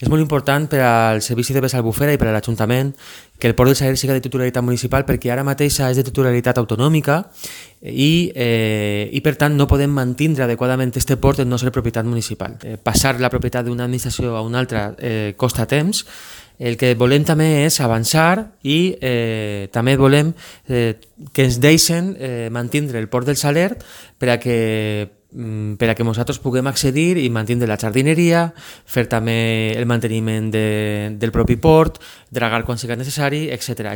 És molt important per al Servici de Vés Albufera i per a l'Ajuntament que el Port del Saler siga de titularitat municipal, perquè ara mateixa és de titularitat autonòmica i per tant no podem mantindre adequadament aquest port en no ser propietat municipal. Passar la propietat d'una administració a una altra costa temps. El que volem també és avançar i també volem que ens deixen mantindre el Port del Saler per a que nosaltres puguem accedir i mantindre la jardineria, fer també el manteniment del propi port, dragar quan sigui necessari, etc.